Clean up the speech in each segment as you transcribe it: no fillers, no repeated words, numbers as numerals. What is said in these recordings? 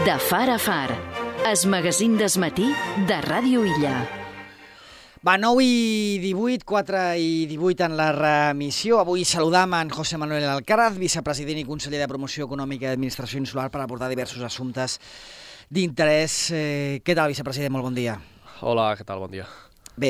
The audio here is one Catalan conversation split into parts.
De far a far, es magazín des matí de Ràdio Illa. Va, 9 i 18, 4 i 18 en la remissió. Avui saludam en José Manuel Alcaraz, vicepresident i conseller de Promoció Econòmica i Administració Insular, per abordar diversos assumptes d'interès. Què tal, vicepresident? Molt bon dia. Hola, què tal? Bon dia. Bé,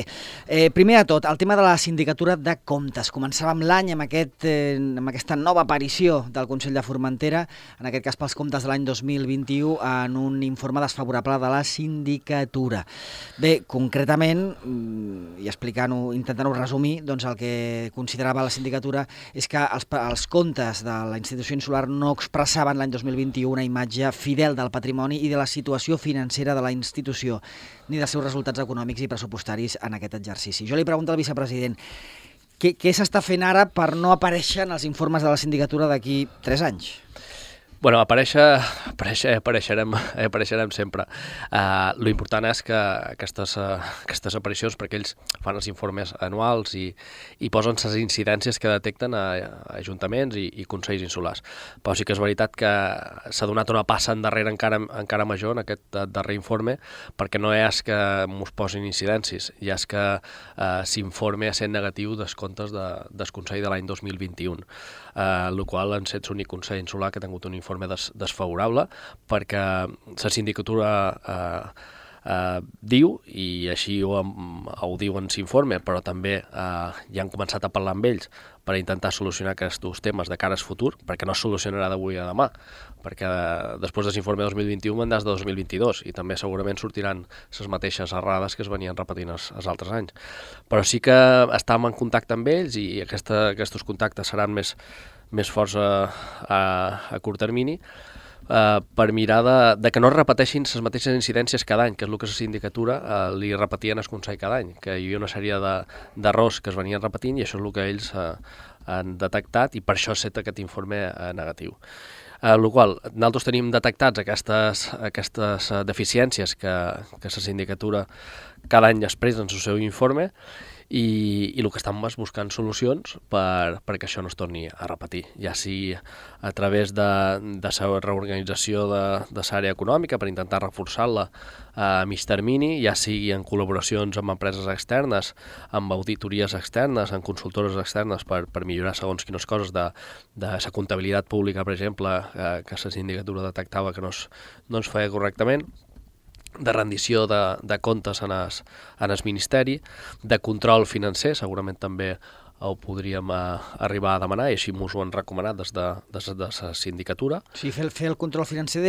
primer de tot, el tema de la sindicatura de comptes. Començàvem l'any amb aquesta nova aparició del Consell de Formentera, en aquest cas pels comptes de l'any 2021, en un informe desfavorable de la sindicatura. Bé, concretament, i intentant-ho resumir, doncs el que considerava la sindicatura és que els comptes de la institució insular no expressaven l'any 2021 una imatge fidel del patrimoni i de la situació financera de la institució, ni dels seus resultats econòmics i pressupostaris en aquest exercici. Jo li pregunto al vicepresident, què s'està fent ara per no aparèixer en els informes de la sindicatura d'aquí 3 anys? Bueno, apareixerem sempre. Lo important és que aquestes aparicions, perquè ells fan els informes anuals i posen les incidències que detecten a ajuntaments i consells insulars. Però sí que és veritat que s'ha donat una passa endarrere encara major en aquest darrer informe, perquè no és que mos posin incidències, ja és que s'informe a ser negatiu dels comptes del Consell de l'any 2021. El qual han set l'únic Consell insular que ha tingut un informe desfavorable, perquè la sindicatura diu, i així ho diu en l'informe, però també ja han començat a parlar amb ells per intentar solucionar aquests temes de cara al futur, perquè no es solucionarà d'avui a demà, perquè després de l'informe 2021 vendràs de 2022 i també segurament sortiran les mateixes errades que es venien repetint els altres anys. Però sí que estàvem en contacte amb ells i aquests contactes seran més forts a curt termini, per mirar de que no es repeteixin les mateixes incidències cada any, que és el que la sindicatura li repetien al Consell cada any, que hi havia una sèrie d'errors que es venien repetint i això és el que ells han detectat i per això ha set aquest informe negatiu. El qual nosaltres tenim detectats aquestes deficiències que la sindicatura cada any expressa en el seu informe i el que estem és buscant solucions perquè això no es torni a repetir, ja sigui a través de la reorganització de l'àrea econòmica per intentar reforçar-la a mig termini, ja sigui en col·laboracions amb empreses externes, amb auditories externes, amb consultores externes per millorar segons quines coses de la comptabilitat pública, per exemple, que la sindicatura detectava que no es feia correctament, de rendició de comptes en el Ministeri, de control financer, segurament també ho podríem arribar a demanar i així m'ho han recomanat des de la sindicatura. O sigui, fer el control financer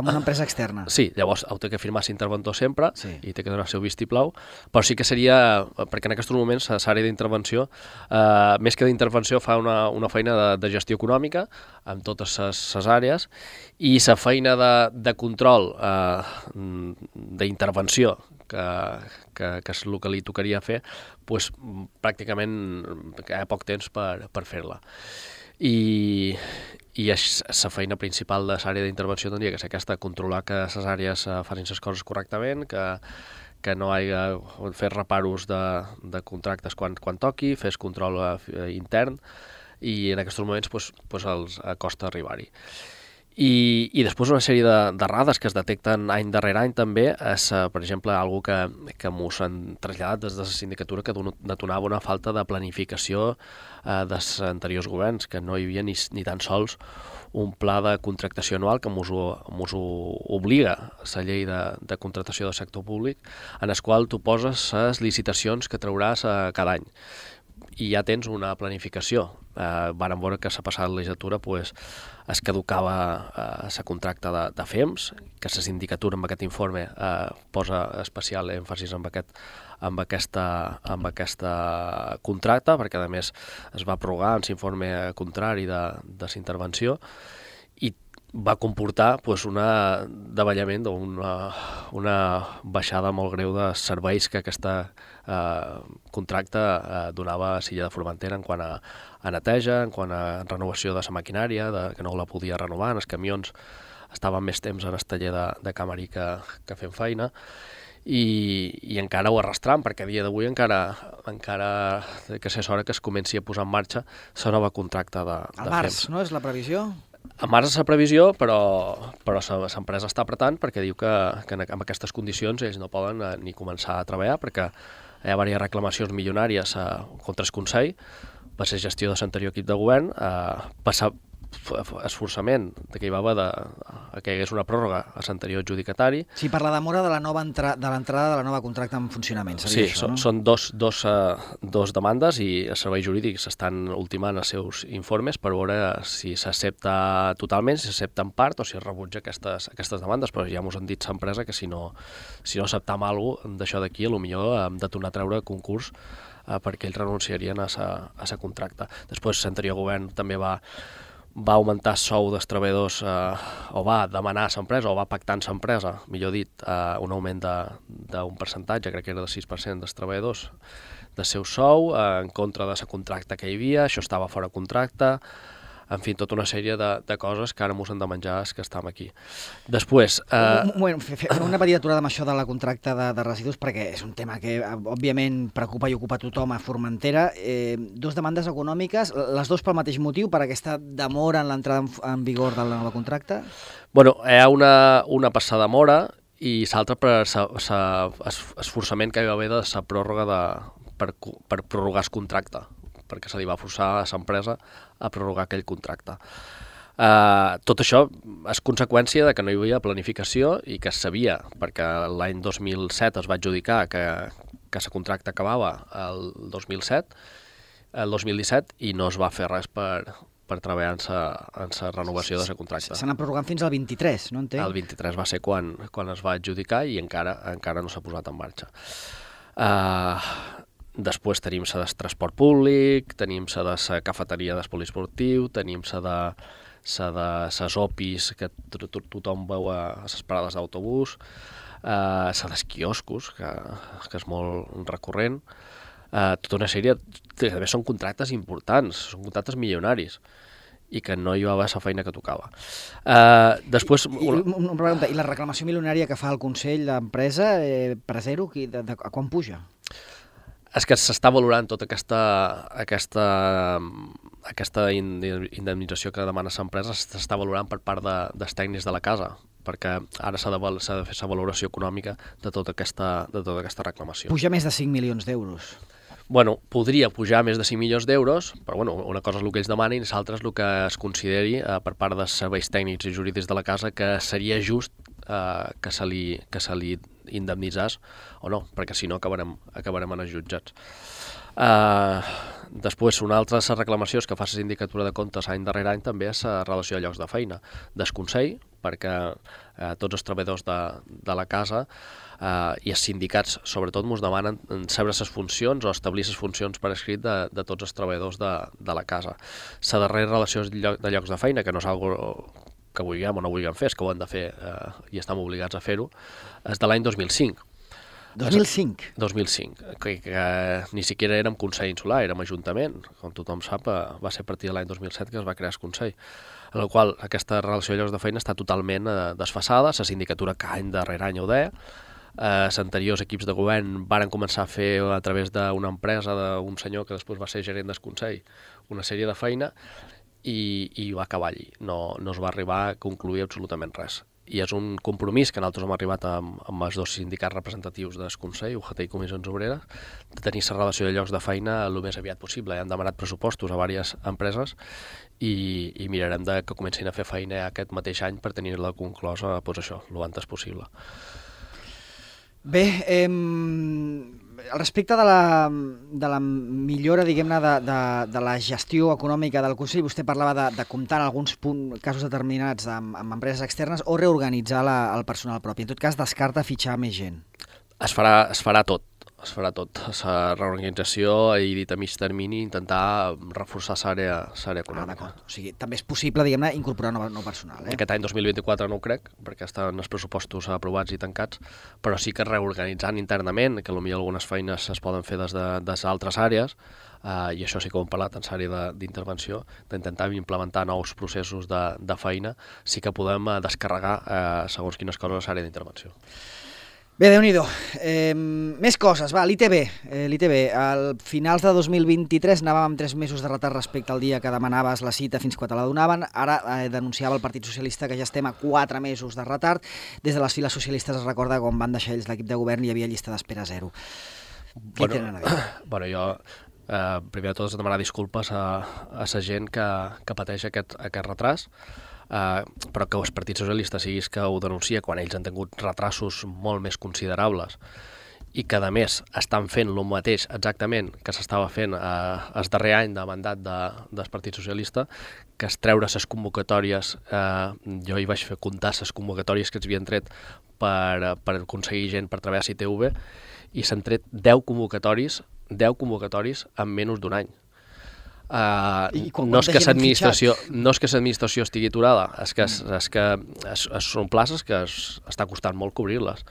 amb una empresa externa. Sí, llavors ho té que firmar l'interventor sempre i té que donar el seu vistiplau, però sí que seria, perquè en aquests moments l'àrea d'intervenció, més que d'intervenció, fa una feina de gestió econòmica amb totes les àrees i la feina de control, d'intervenció, que és el que li tocaria fer, doncs pràcticament hi ha poc temps per fer-la. I la feina principal de l'àrea d'intervenció tindria que ser aquesta, controlar que les àrees facin les coses correctament, que no hi ha fer reparos de contractes quan toqui, fer control intern, i en aquests moments els costa arribar-hi. I després una sèrie d'errades que es detecten any darrere any també és, per exemple, algo que mos han traslladat des de la sindicatura que detonava una falta de planificació dels anteriors governs, que no hi havia ni tan sols un pla de contractació anual que mos ho obliga la llei de contractació del sector públic, en el qual tu poses les licitacions que trauràs cada any i ja tens una planificació. Vàrem veure que la passada legislatura es caducava la contracte de FEMS, que la sindicatura amb aquest informe posa especial èmfasis amb aquesta contracte, perquè a més es va prorrogar en l'informe contrari de la intervenció i va comportar un davallament, una baixada molt greu de serveis que aquesta contracte donava a l'illa de Formentera en quant a neteja, en quant a renovació de la maquinària, que no la podia renovar, els camions estaven més temps en el taller de Camarí que fent feina, i encara ho arrastrant, perquè a dia d'avui encara que és hora que es comenci a posar en marxa la nova contracte de al març, FEMS. no és la previsió? En març és la previsió, però l'empresa està apretant perquè diu que amb aquestes condicions ells no poden ni començar a treballar perquè hi ha diverses reclamacions milionàries contra el Consell per ser gestió de l'anterior equip de govern, passar esforçament que hi va haver que hi hagués una pròrroga a l'anterior adjudicatari. Sí, per la demora de l'entrada de la nova contracte en funcionament. Sí, això, no? Són dos demandes i els serveis jurídics estan ultimant els seus informes per veure si s'accepta totalment, si s'accepta en part o si es rebutja aquestes demandes, però ja ens han dit l'empresa que si no acceptam alguna cosa d'això d'aquí, potser hem de tornar a treure concurs perquè ells renunciarien a sa contracte. Després l'anterior govern també va augmentar el sou dels treballadors o va demanar a l'empresa o va pactar amb l'empresa, millor dit, un augment d'un percentatge, crec que era del 6% dels treballadors del seu sou, en contra de la contracte que hi havia, això estava fora contracte, en fi, tota una sèrie de coses que ara ens hem de menjar els que estem aquí. Després... Una petita aturada amb això de la contracta de residus, perquè és un tema que, òbviament, preocupa i ocupa tothom a Formentera. Dos demandes econòmiques, les dues pel mateix motiu, per aquesta demora en l'entrada en vigor de la nova contracta? Bueno, hi ha una passada demora i l'altra per l'esforçament que hi va haver de la pròrroga per prorrogar el contracte, perquè se li va forçar a l'empresa a prorrogar aquell contracte. Tot això és conseqüència de que no hi havia planificació i que es sabia, perquè l'any 2007 es va adjudicar que el contracte acabava el 2017 i no es va fer res per treballar en la renovació de la contracte. S'ha anat prorrogant fins al 23, no entenc? El 23 va ser quan es va adjudicar i encara no s'ha posat en marxa. Després tenim la del transport públic, tenim la de la cafeteria del poliesportiu, tenim la de les OPIs que tothom veu a les parades d'autobús, la dels quioscos, que és molt recurrent, tota una sèrie, també són contractes importants, són contractes milionaris i que no hi va haver la feina que tocava. Després... Una pregunta, i la reclamació milionària que fa el Consell d'Empresa, per a zero, a quan puja? És que s'està valorant tota aquesta indemnització que demana l'empresa, s'està valorant per part dels tècnics de la casa, perquè ara s'ha de fer la valoració econòmica de tota aquesta reclamació. Puja més de 5 milions d'euros. Bueno, podria pujar més de 5 milions d'euros, però bueno, una cosa és el que ells demanen i l'altra és el que es consideri per part dels serveis tècnics i jurídics de la casa que seria just que se li indemnitzàs o no, perquè si no acabarem en els jutjats. Després, una altra de les reclamacions que fa la Sindicatura de Comptes any darrere any també és la relació de llocs de feina del Consell, perquè tots els treballadors de la casa i els sindicats, sobretot, ens demanen saber les funcions o establir les funcions per escrit de tots els treballadors de la casa. La darrera relació de llocs de feina, que no és una que vulguem o no vulguem fer, és que ho hem de fer i estem obligats a fer-ho, és de l'any 2005. 2005? 2005, que ni siquiera érem Consell Insular, érem Ajuntament. Com tothom sap, va ser a partir de l'any 2007 que es va crear el Consell. En el qual aquesta relació de llocs de feina està totalment desfasada, la sindicatura que any darrere any ho deia, els anteriors equips de govern varen començar a fer a través d'una empresa d'un senyor que després va ser gerent del Consell una sèrie de feina i va acabar allí, no es va arribar a concluir absolutament res. I és un compromís que nosaltres hem arribat amb els dos sindicats representatius del Consell, UGT i Comissions Obreres, de tenir la relació de llocs de feina el més aviat possible. Han demanat pressupostos a diverses empreses i mirarem que comencin a fer feina aquest mateix any per tenir-la conclosa, doncs això, el antes possible. Bé, respecte de la millora, diguem-ne, de la gestió econòmica del Consell, vostè parlava de comptar en alguns casos determinats amb empreses externes o reorganitzar el personal propi. En tot cas, descarta fitxar més gent. Es farà tot. La reorganització i dit a mig termini intentar reforçar l'àrea econòmica. O sigui, també és possible, diguem-ne, incorporar nou personal. Aquest any 2024 no ho crec, perquè estan els pressupostos aprovats i tancats, però sí que reorganitzant internament, que potser algunes feines es poden fer des d'altres àrees, i això sí que ho hem parlat en l'àrea d'intervenció, d'intentar implementar nous processos de feina, sí que podem descarregar segons quines coses a l'àrea d'intervenció. Bé, Déu-n'hi-do. Més coses, va, l'ITB. Al finals de 2023 anàvem amb 3 mesos de retard respecte al dia que demanaves la cita fins quan te la donaven. Ara denunciava el Partit Socialista que ja estem a 4 mesos de retard. Des de les files socialistes es recorda quan van deixar ells l'equip de govern i hi havia llista d'espera 0. Què tenen a dir? Bueno, jo primer de tot demanar disculpes a la gent que pateix aquest retras. Però que els partits socialistes siguis que ho denuncia quan ells han tingut retrasos molt més considerables i que a més estan fent el mateix exactament que s'estava fent el darrer any de mandat del Partit Socialista, que es treure les convocatòries, jo hi vaig fer comptar les convocatòries que es havien tret per aconseguir gent per treballar a ITV i s'han tret 10 convocatòries en menys d'un any. No és que l'administració estigui aturada, és que són places que està costant molt cobrir-les,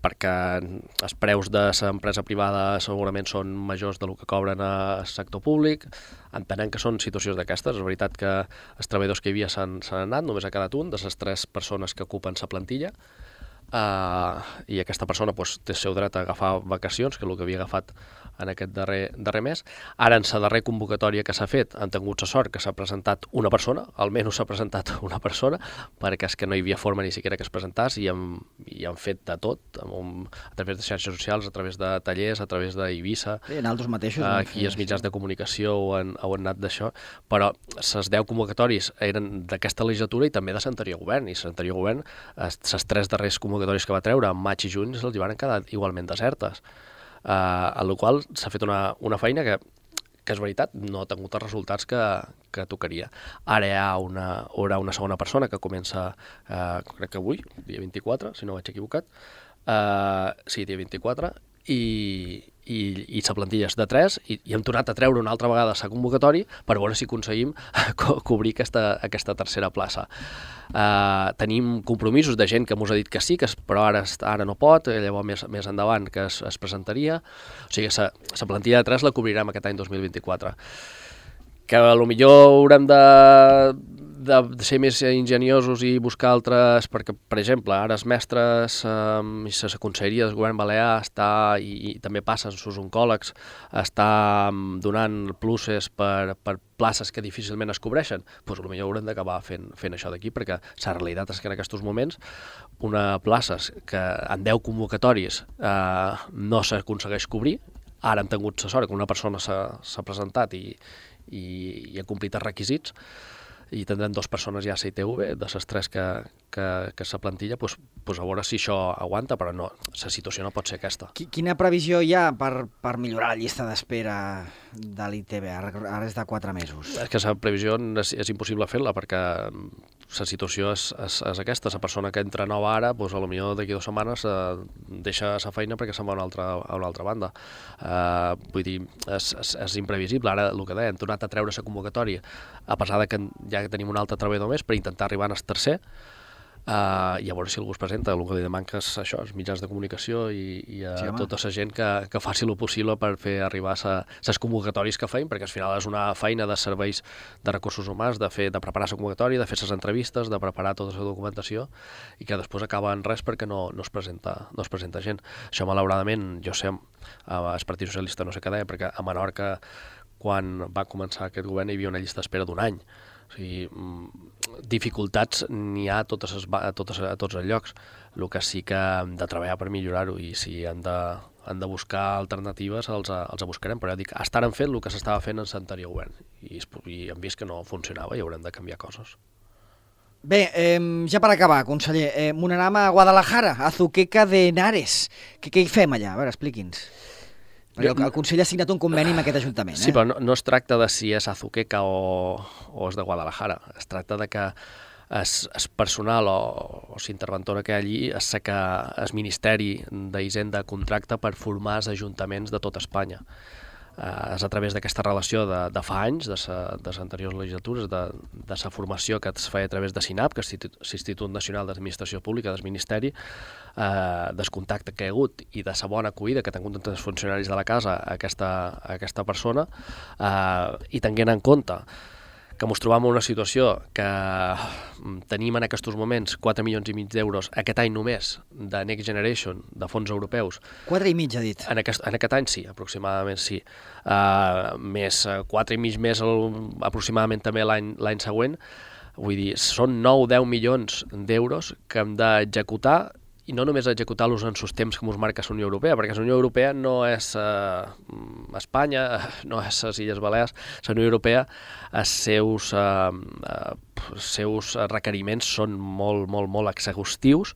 perquè els preus de l'empresa privada segurament són majors del que cobren al sector públic. Entenem que són situacions d'aquestes. És veritat que els treballadors que hi havia s'han anat, només ha quedat un de les 3 persones que ocupen la plantilla, i aquesta persona té el seu dret a agafar vacacions, que és el que havia agafat en aquest darrer mes. Ara, en la darrera convocatòria que s'ha fet, han tingut la sort que s'ha presentat una persona, almenys s'ha presentat una persona, perquè és que no hi havia forma ni siquiera que es presentàs i han fet de tot, a través de xarxes socials, a través de tallers, a través d'Eivissa. Sí, en altres mateixos. Aquí els mitjans de comunicació ho han anat d'això, però les 10 convocatòries eren d'aquesta legislatura i també de l'anterior govern, i l'anterior govern, les 3 darreres convocatòries que va treure, en maig i juny, se'ls van quedar igualment desertes. A la qual s'ha fet una feina que és veritat, no ha tingut els resultats que tocaria. Ara hi haurà una segona persona que comença, crec que avui, dia 24, si no vaig equivocat, sí, dia 24, i la plantilla és de 3 i hem tornat a treure una altra vegada la convocatòria per veure si aconseguim cobrir aquesta tercera plaça. Tenim compromisos de gent que ens ha dit que sí, però ara no pot, llavors més endavant que es presentaria. O sigui, la plantilla de 3 la cobrirem aquest any 2024. Que potser haurem de ser més enginyosos i buscar altres, perquè, per exemple, ara els mestres i la conselleria del govern balear està, i també passa amb els oncòlegs, està donant pluses per places que difícilment es cobreixen, doncs potser haurem d'acabar fent això d'aquí, perquè la realitat és que en aquests moments una plaça que en 10 convocatòries no s'aconsegueix cobrir. Ara hem tingut la sort que una persona s'ha presentat i ha complit els requisits, i tindrem 2 persones ja a ITV, de les 3 que la plantilla, doncs a veure si això aguanta, però no, la situació no pot ser aquesta. Quina previsió hi ha per millorar la llista d'espera de l'ITB? Ara és de 4 mesos. És que la previsió és impossible fer-la, perquè la situació és aquesta. La persona que entra nova ara, doncs potser d'aquí 2 setmanes deixa la feina perquè se'n va a una altra banda. Vull dir, és imprevisible. Ara, el que deia, hem tornat a treure la convocatòria, a pesar que ja tenim un altre treballador més per intentar arribar al tercer, i a veure si algú es presenta. El que li manca és això, els mitjans de comunicació i tota la gent que faci el possible per fer arribar les convocatòries que feim, perquè al final és una feina de serveis de recursos humans, de preparar la convocatòria, de fer les entrevistes, de preparar tota la documentació, i que després acaba en res perquè no es presenta gent. Això, malauradament, jo sé, el Partit Socialista no sé què deia, perquè a Menorca, quan va començar aquest govern, hi havia una llista d'espera d'1 any. O sigui, dificultats n'hi ha a tots els llocs. El que sí que hem de treballar per millorar-ho, i si han de buscar alternatives els buscarem, però ja dic, estan fent el que s'estava fent en l'anterior govern i hem vist que no funcionava i haurem de canviar coses. Bé, ja per acabar, conseller, m'anarem a Guadalajara, a Azuqueca de Henares. Què hi fem allà? A veure, expliqui'ns. Perquè el Consell ha signat un conveni amb aquest ajuntament. Sí, però no es tracta de si és Azuqueca o és de Guadalajara. Es tracta de que el personal o l'interventora que hi ha allí és que el Ministeri d'Hisenda contracta per formar els ajuntaments de tota Espanya. És a través d'aquesta relació de fa anys, de les anteriors legislatures, de la formació que es feia a través de SINAP, que és l'Institut Nacional d'Administració Pública del Ministeri, del contacte que hi ha hagut i de la bona acollida que han tingut els funcionaris de la casa a aquesta persona, i tenint en compte que ens trobam en una situació que tenim en aquests moments 4,5 milions d'euros aquest any només de Next Generation, de fons europeus. 4,5 ha dit. En aquest any sí, aproximadament sí. Més 4,5 més aproximadament també l'any següent. Vull dir, són 9-10 milions d'euros que hem d'executar, i no només executar-los en els temps que ens marca la Unió Europea, perquè la Unió Europea no és Espanya, no és les Illes Balears. La Unió Europea, els seus requeriments són molt exhaustius.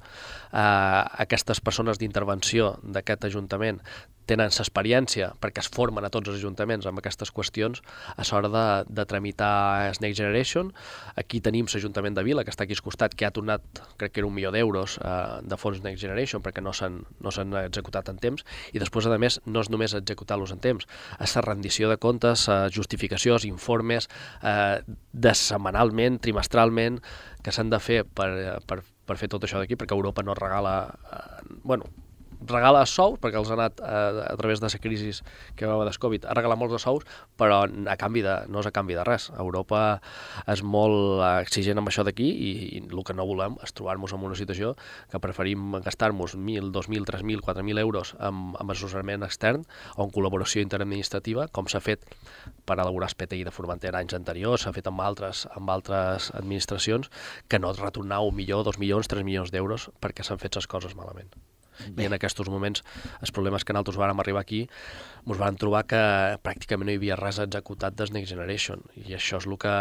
Aquestes persones d'intervenció d'aquest Ajuntament tenen l'experiència, perquè es formen a tots els ajuntaments amb aquestes qüestions, a l'hora de tramitar el Next Generation. Aquí tenim l'Ajuntament de Vila, que està aquí al costat, que ha tornat, crec que era 1 milió d'euros de fons Next Generation, perquè no s'han executat en temps, i després, a més, no és només executar-los en temps, és la rendició de comptes, justificacions, informes, setmanalment, trimestralment, que s'han de fer per fer tot això d'aquí, perquè Europa no regala... regala sous, perquè els ha anat a través de la crisi que va haver del Covid, ha regalat molts de sous, però no és a canvi de res. Europa és molt exigent amb això d'aquí, i el que no volem és trobar-nos en una situació que preferim gastar-nos 1.000, 2.000, 3.000, 4.000 euros amb assessorament extern o en col·laboració interadministrativa, com s'ha fet per elaborar el PTI de Formentera anys anteriors, s'ha fet amb altres administracions, que no retornar 1 milió, 2 milions, 3 milions d'euros perquè s'han fet les coses malament. I en aquests moments, els problemes que nosaltres vàrem arribar aquí, ens vam trobar que pràcticament no hi havia res executat des Next Generation, i això és el que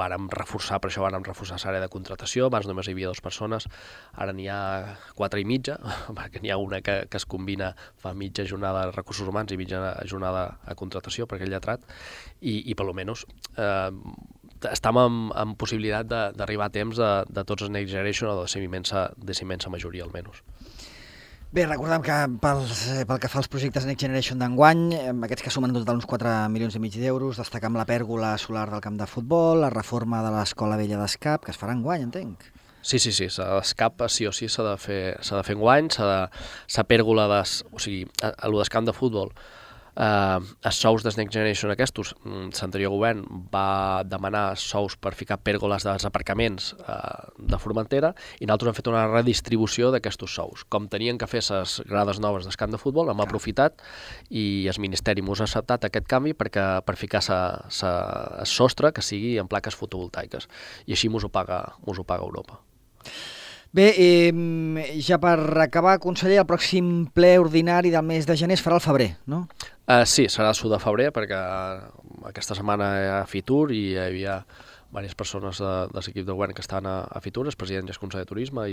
vàrem reforçar, per això vàrem reforçar l'àrea de contratació. Abans només hi havia 2 persones, ara n'hi ha 4 i mitja, perquè n'hi ha una que es combina, fa mitja jornada de recursos humans i mitja jornada a contratació, perquè és lletrat, i per almenys estem en possibilitat d'arribar a temps de tots els Next Generation, o de la immensa majoria almenys. Bé, recordem que pel que fa als projectes Next Generation d'enguany, aquests que sumen en total uns 4,5 milions d'euros, destacam la pèrgola solar del camp de futbol, la reforma de l'Escola Vella d'Escap, que es farà enguany, entenc. Sí, l'Escap sí o sí s'ha de fer enguany, la pèrgola, o sigui, l'Escamp de futbol, els sous dels Next Generation aquests, l'anterior govern va demanar sous per ficar pèrgoles dels aparcaments de Formentera, i nosaltres hem fet una redistribució d'aquests sous. Com tenien que fer les grades noves del camp de futbol, hem aprofitat, i el Ministeri ens ha acceptat aquest canvi per ficar el sostre que sigui en plaques fotovoltaiques, i així ens ho paga Europa. Bé, ja per acabar, conseller, el pròxim ple ordinari del mes de gener es farà al febrer, no? Sí, serà el de febrer, perquè aquesta setmana hi ha Fitur i hi havia diverses persones de l'equip de govern que estan a Fitur, el president i el conseller de Turisme,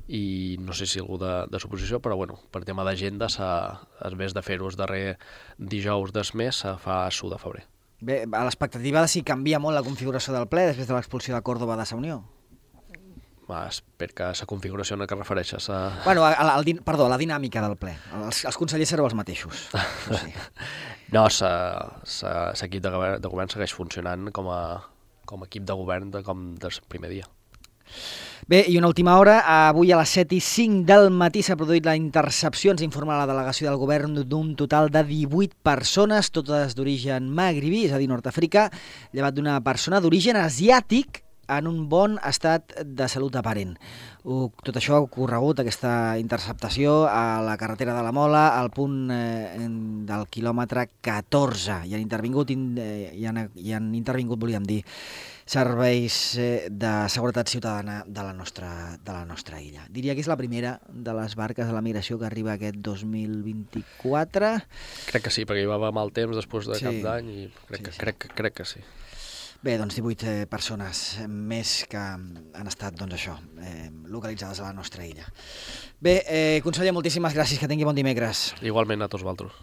i no sé si algú de l'oposició, però bueno, per tema d'agenda, en vez de fer-ho el darrer dijous del mes, se fa el de febrer. Bé, a l'expectativa de si canvia molt la configuració del ple després de l'expulsió de Córdoba de la Unió. Espero que la configuració en què refereixes... Bueno, la dinàmica del ple. Els consellers sereu els mateixos. Sí. No, l'equip de govern segueix funcionant com a equip de govern com del primer dia. Bé, i una última hora. Avui a les 7:05 del matí s'ha produït la intercepció, ens informa la delegació del govern, d'un total de 18 persones, totes d'origen magribí, és a dir, nord-africà, llevat d'una persona d'origen asiàtic, en un bon estat de salut aparent. Tot això ha ocorregut, aquesta interceptació, a la carretera de la Mola, al punt del quilòmetre 14. Hi han intervingut, volíem dir, serveis de seguretat ciutadana de la nostra illa. Diria que és la primera de les barques de la migració que arriba aquest 2024. Crec que sí, perquè hi va mal temps després de cap d'any, i crec que sí. Bé, doncs 18 persones més que han estat, doncs això, localitzades a la nostra illa. Bé, conseller, moltíssimes gràcies, que tingui bon dimecres. Igualment a tots vosaltres.